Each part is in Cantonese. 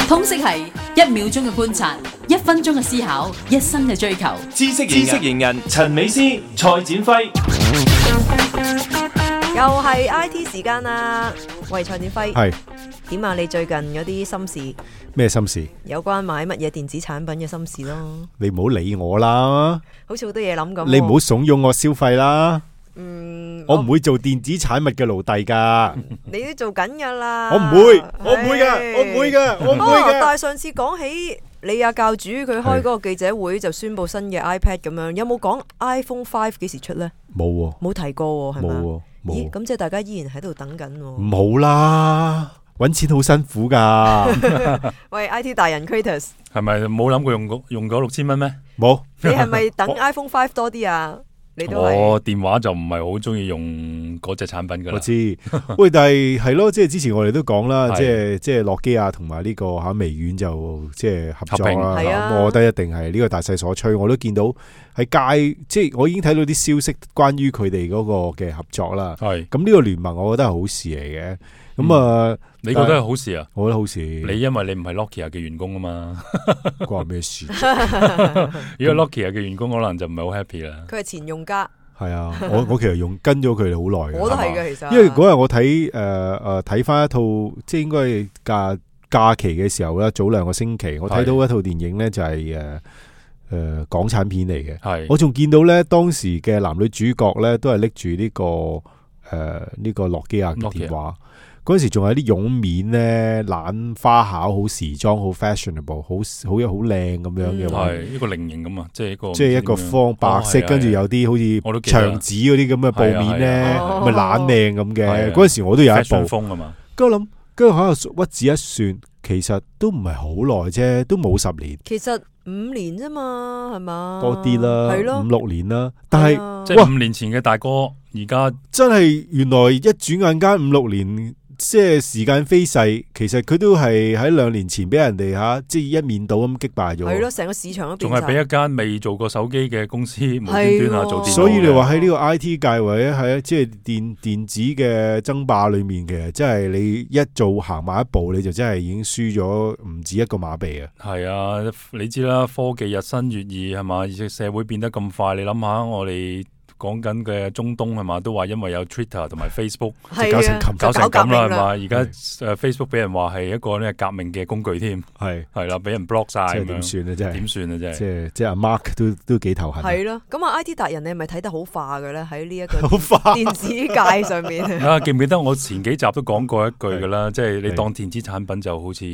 通識係1秒鐘嘅觀察，1分鐘嘅思考，一生嘅追求。知識型人陳美詩、蔡展輝，又係 IT 時間啦。喂，蔡展輝，係點啊？你最近嗰啲心事，咩心事？有關買乜嘢電子產品嘅心事咯。你唔好理我啦，好似好多嘢諗咁。你唔好慫恿我消費啦。我唔會做電子產物嘅奴隸噶。你都做緊噶啦。我唔會噶，我唔會噶。但係上次講起你阿教主佢開嗰個記者會就宣布新嘅 iPad 咁樣，有冇講 iPhone 5幾時出呢？冇喎，冇提過喎，係咪？冇。咦，咁即係大家依然喺度等緊喎。唔好啦，搵錢好辛苦噶。喂 ，IT 大人 Kratos， 係咪冇諗過用嗰6000蚊咩？冇。你係咪等 iPhone 5多啲啊？你都係。我電話就唔係好中意用嗰隻產品噶啦。我知。喂，但係咯，即係之前我哋都講啦，即係諾基亞同埋呢個微軟就即係合作啦。咁我覺得一定係呢個大勢所趨。我都見到喺街，即係我已經睇到啲消息關於佢哋嗰個嘅合作啦。係。咁呢個聯盟，我覺得係好事嚟嘅。咁你覺得係好事啊？我覺得好事。你因為你唔係 Nokia 嘅員工啊嘛，關咩事？如果 Nokia 嘅員工可能就唔係好 happy 啦。佢係前用家。係啊，我其實跟咗佢哋好耐。我都係嘅，其實。因為嗰日我睇翻一套，即係應該係假期嘅時候啦，早2個星期，我睇到一套電影咧，就係港產片嚟嘅。係。我仲見到咧，當時嘅男女主角咧，都係拎住呢個諾基亞嘅電話。嗰時仲有啲絨面咧，懶花巧，好時裝，好 fashionable， 好靚咁樣嘅話，係一個菱形咁啊，即係一個方白色，跟住有啲好似牆紙嗰啲咁嘅布面咧，咪懶靚咁嘅。嗰陣時我都有一部。風啊嘛。跟住我諗，跟住喺度屈指一算，其實都唔係好耐啫，都冇10年。其實5年啫嘛，係嘛？多啲啦，係咯，5-6年啦。但係即係5年前嘅大哥，而家真係原來一轉眼間5-6年。即係時間飛逝，其實佢都係喺2年前俾人哋即係一面倒咁擊敗咗。係咯，成個市場都變晒。仲係俾一間未做過手機嘅公司無端端做電腦。所以你話喺呢個 IT 界或者係即係電子嘅爭霸裏面嘅，即係你一做行埋一步，你就真係已經輸咗唔止一個馬鼻啊！係啊，你知啦，科技日新月異係嘛，而且社會變得咁快，你諗下我哋。講緊嘅中東係嘛，都話因為有 Twitter 同埋 Facebook 搞成咁啦係嘛，而家Facebook 俾人話係一個咧革命嘅工具添，係啦，俾人 block 晒，點算啊？真係點算啊？真係即係阿 Mark 都幾頭痕。係咯，咁啊 IT 達人你係咪睇得好化嘅咧？喺呢一個電子界上面啊，記唔記得我前幾集都講過一句噶啦，即係你當電子產品就好似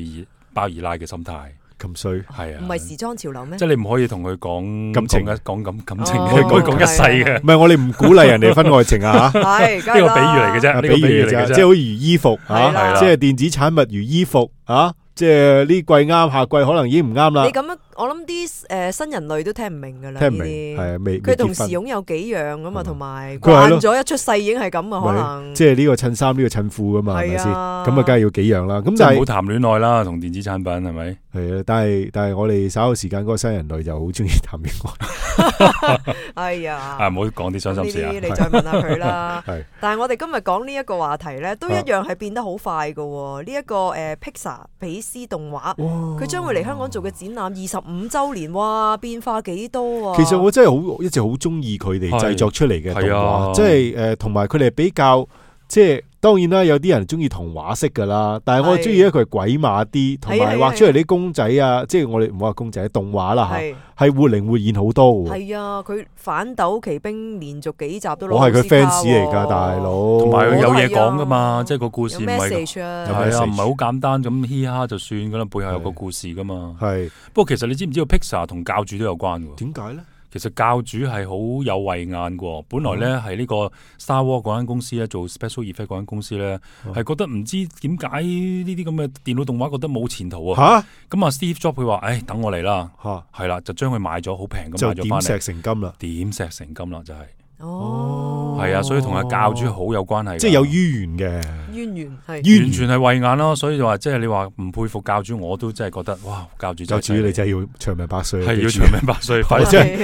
包二奶嘅心態。咁衰係啊，唔係時裝潮流咩？即係你唔可以同佢講感情，講感情，可以講一世嘅。唔係我哋唔鼓勵人哋分愛情啊吓，係呢個比喻嚟嘅啫，呢個比喻嚟嘅啫，即係好似衣服吓，即係電子產物如衣服啊。即係呢季啱，下季可能已經唔啱啦。你咁樣，我諗啲新人類都聽唔明噶啦。聽唔明係啊，未佢同時擁有幾樣噶嘛，同埋慣咗一出世已經係咁啊，可能。即係呢個襯衫，呢個襯褲噶嘛，係咪先？咁啊，梗係要幾樣啦。咁但係唔好談戀愛啦，同電子產品係咪？係啊，但係我哋稍後時間嗰個新人類就好中意談戀愛。哎呀，唔好講啲傷心事啊！你再問下佢啦。但係我哋今日講呢一個話題咧，都一樣係變得好快噶。呢一個Pixar 比斯動畫，佢將會嚟香港做嘅展覽25週年，哇，變化幾多啊！其實我真係一直好中意佢哋製作出嚟嘅動畫，即係同埋佢哋比較即係。當然啦，有啲人中意童話式噶啦，但係我中意咧佢係鬼馬啲，同埋畫出嚟啲公仔啊，即係我哋唔好話公仔，動畫啦吓，係活靈活現好多嘅。係啊，佢反斗奇兵連續幾集都攞。我係佢 fans 嚟噶，大佬。同埋佢有嘢講噶嘛，即係個故事唔係，係啊，唔係好簡單咁嘻哈就算噶啦，背後有個故事噶嘛。係。不過其實你知唔知道 Pixar 同教主都有關嘅？點解咧？其實教主係好有慧眼嘅，本來咧係呢個 Star Wars 嗰間公司咧做 Special Effect 嗰間公司咧，係覺得唔知點解呢啲咁嘅電腦動畫覺得冇前途啊！咁啊 Steve Jobs 佢話：，等我嚟啦，係啦，就將佢買咗，好平咁買咗翻嚟，就點石成金啦，點石成金啦，就係。係啊，所以同阿教主好有關係，即係有淵源嘅。淵源完全係慧眼咯。所以就話即係你話唔佩服教主，我都真係覺得哇，教主你真係要長命百歲，係要長命百歲。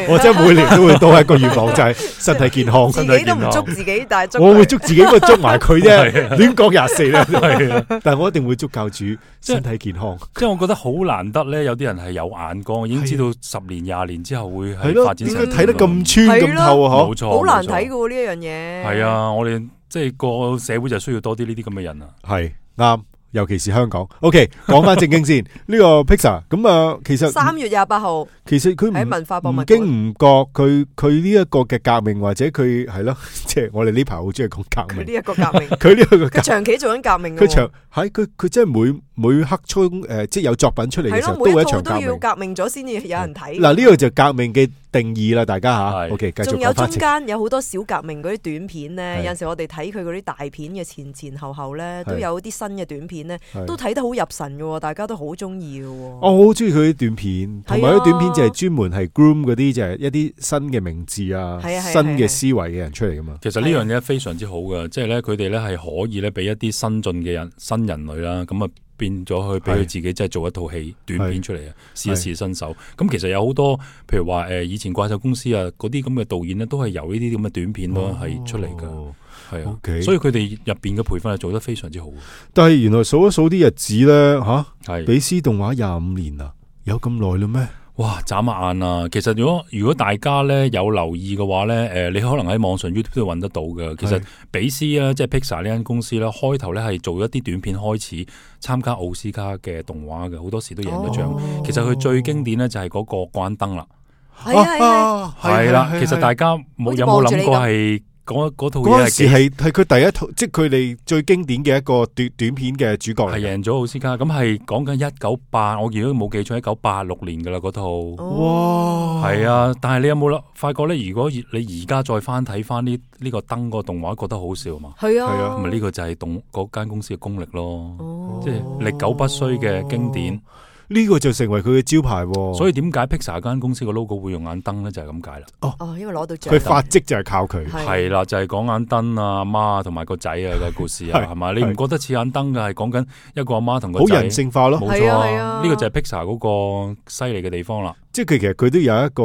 我真係每年都會多一個願望，就係身體健康。自己都唔捉自己，但係我會捉自己，不過捉埋佢啫。亂講24咧，但係我一定會捉教主身體健康。即係我覺得好難得咧，有啲人係有眼光，已經知道10年20年之後會係發展成點。睇得咁穿咁透啊！冇錯，好難睇噶呢一樣嘢。係啊，我哋即係個社會就需要多啲呢啲咁嘅人啊。係啱。尤其是香港 ，OK， 講翻正經先。呢個 Pixar 咁啊，其實3月28號，其實佢喺文化博物館，唔經唔覺，佢呢一個嘅革命或者佢係咯，即係我哋呢排好中意講革命。佢呢一個革命，佢長期做緊革命。佢真係每刻即係有作品出嚟嘅時候，都係一場革命。都要革命咗先至有人睇。嗱，呢個就革命嘅定義啦，大家吓。OK， 繼續講翻。仲有中間有好多小革命嗰啲短片咧，有陣時我哋睇佢嗰啲大片嘅前後咧，都有啲新嘅短片咧，都睇得好入神嘅，大家都好中意嘅。我好中意佢啲短片，同埋啲短片就係專門係 groom 嗰啲，就係一啲新嘅名字啊，新嘅思維嘅人出嚟噶嘛。其實呢樣嘢非常之好噶，即係咧佢哋咧係可以咧俾一啲新進嘅新人類啦，咁啊變咗去俾佢自己即係做一套戲短片出嚟啊，試一試新手。咁其實有好多譬如話以前怪獸公司啊嗰啲咁嘅導演咧，都係由呢啲咁嘅短片咯係出嚟噶。係啊， okay，所以佢哋入邊嘅培訓係做得非常之好。但係原來數一數啲日子咧，比斯動畫25年啦，有咁耐啦咩？哇，眨下眼啊！其實如果大家咧有留意嘅話咧，你可能喺網上 YouTube 都揾得到嘅。其實比斯啊，即係 Pixar 呢間公司咧，開頭咧係做一啲短片開始參加奧斯卡嘅動畫嘅，好多時都贏咗獎。其實佢最經典咧就係嗰個關燈啦。係啦，其實大家有冇諗過係？嗰套嘢係佢第一套，即係佢哋最經典嘅一個短片嘅主角嚟，係贏咗奧斯卡。咁係講緊198，我如果冇記錯1986年噶啦嗰套。哇！係啊，但係你有冇發覺咧？如果你而家再翻睇翻呢個燈個動畫，覺得好笑嘛？係啊，咁呢個就係嗰間公司嘅功力咯。即係歷久不衰嘅經典。呢個就成為佢嘅招牌，所以點解 Pixar 間公司個 logo 會用眼燈咧？就係咁解啦。因為攞到獎，佢發跡就係靠佢。係啦，就係講眼燈啊，阿媽同埋個仔啊嘅故事啊，係咪？你唔覺得似眼燈嘅？係講緊一個阿媽同個仔，好人性化咯。冇錯啊，呢個就係 Pixar 嗰個犀利嘅地方啦。即係其實佢都有一個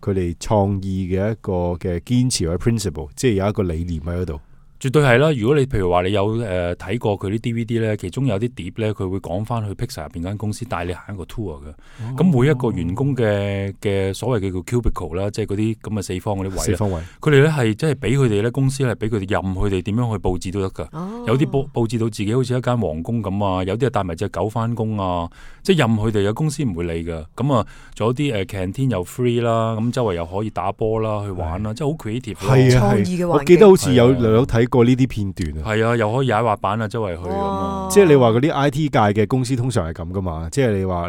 佢哋創意嘅一個嘅堅持或者 principle， 即係有一個理念喺嗰度。絕對係啦！如果你譬如話你有睇過佢啲 DVD 咧，其中有啲碟咧，佢會講翻去 Pixar 入邊間公司帶你行一個 tour 嘅。咁每一個員工嘅所謂嘅叫 cubicle 啦，即係嗰啲咁嘅四方嗰啲位。四方位。佢哋咧係即係俾佢哋咧公司係俾佢哋任佢哋點樣去佈置都得㗎。有啲佈置到自己好似一間皇宮咁啊，有啲係帶埋隻狗翻工啊，即係任佢哋嘅公司唔會理㗎。咁啊，仲有啲canteen 又 free 啦，咁周圍又可以打波啦，去玩啦，即係好 creative。係啊，創意嘅環境。我記得好似有睇過呢啲片段啊，係啊，又可以踩滑板啊，周圍去咁啊。即係你話嗰啲 IT 界嘅公司通常係咁噶嘛？即係你話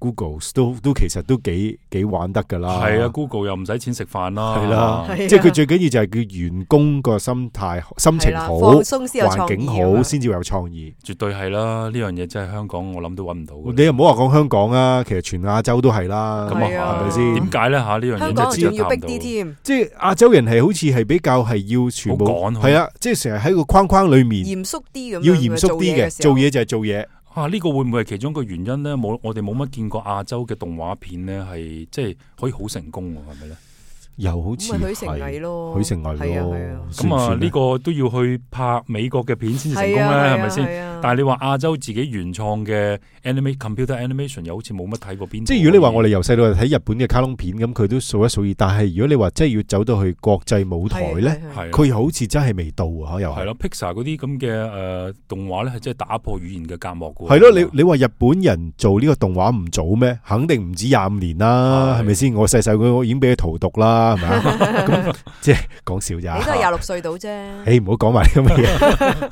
Google 都其實都幾玩得噶啦。係啊 ，Google 又唔使錢食飯啦。係啦，即係佢最緊要就係叫員工個心態、心情好、環境好，先至會有創意。絕對係啦，呢樣嘢真係香港我諗都揾唔到。你又唔好話講香港啊，其實全亞洲都係啦。咁啊，係咪先？點解咧？呢樣嘢真係仲要逼啲添。即係亞洲人係好似係比較係要全部係啊，即係成日喺個框框裏面嚴肅啲咁，要嚴肅啲嘅，做嘢就係做嘢。呢個會唔會係其中一個原因咧？我哋冇乜見過亞洲嘅動畫片咧，係即係可以好成功喎，係咪咧？又好似許成毅咯，許成毅咯，咁啊呢個都要去拍美國嘅片先成功咧，係咪先？但係你話亞洲自己原創嘅 computer animation 又好似冇乜睇過邊？即係如果你話我哋由細到大睇日本嘅卡通片，咁佢都數一數二。但係如果你話真係要走到去國際舞台咧，佢好似真係未到啊！又係咯，Pixar 嗰啲咁嘅動畫咧，係真係打破語言嘅隔膜嘅。係咯，你話日本人做呢個動畫唔早咩？肯定唔止25年啦，係咪先？我細細個已經俾佢荼毒啦，係咪啊？咁即係講笑咋？你都係26歲到啫。唔好講埋咁嘅嘢。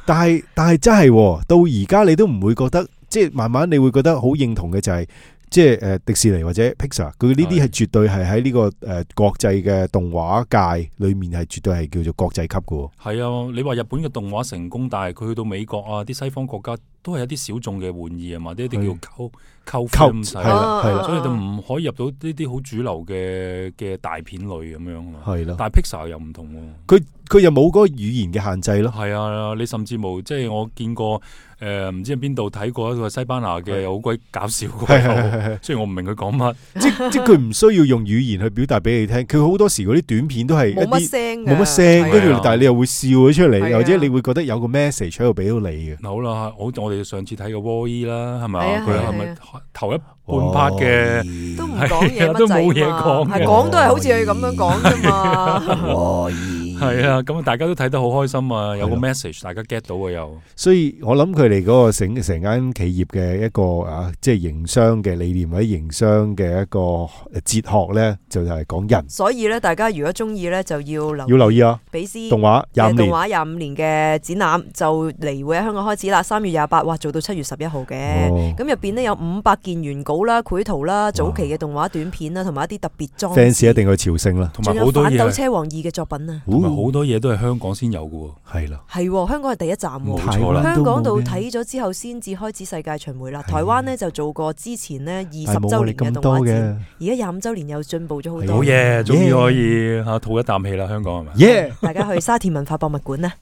但係真係到而家你都唔會覺得，即係慢慢你會覺得好認同嘅就係，即係迪士尼或者 Pixar，佢呢啲係絕對係喺呢個國際嘅動畫界裏面係絕對係叫做國際級嘅。係啊，你話日本嘅動畫成功，但係佢去到美國啊，啲西方國家都係有啲小眾嘅玩意啊嘛，啲叫溝係啦，所以就唔可以入到呢啲好主流嘅大片類咁樣。係啦，但係 Pixar 又唔同喎。佢又冇嗰個語言嘅限制咯。係啊，你甚至冇即係我見過唔知喺邊度睇過一個西班牙嘅好鬼搞笑嘅，雖然我唔明佢講乜，即佢唔需要用語言去表達俾你聽，佢好多時嗰啲短片都係冇乜聲，跟住但係你又會笑咗出嚟，或者你會覺得有個 message 喺度俾到你嘅。好啦，我哋上次睇過 Wall-E 啦，係咪？佢係咪頭一半 part 嘅都唔講嘢，都冇嘢講，係講都係好似佢咁樣講啫嘛。係啊，咁大家都睇得好開心啊，有個 message 大家 get 到啊又。所以我諗佢哋嗰個成間企業嘅一個即係營商嘅理念或者營商嘅一個哲學咧，就係講人。所以咧，大家如果中意咧，就要留意啊！比斯動畫25年嘅展覽就嚟會喺香港開始啦，3月28，哇，做到7月11號嘅。咁入邊呢，有500件原稿啦、繪圖啦、早期嘅動畫短片啦，同埋一啲特別裝置。fans 一定去朝聖啦，同埋好多嘢。仲有反斗車王2嘅作品啊！好多嘢都係香港先有嘅喎，係啦，係香港係第一站喎，冇錯啦。香港度睇咗之後，先至開始世界巡迴啦。台灣呢就做過之前呢20週年嘅動畫展，而家25週年又進步咗好多。好嘢，終於可以吐一啖氣啦，香港係咪？耶！大家去沙田文化博物館啦。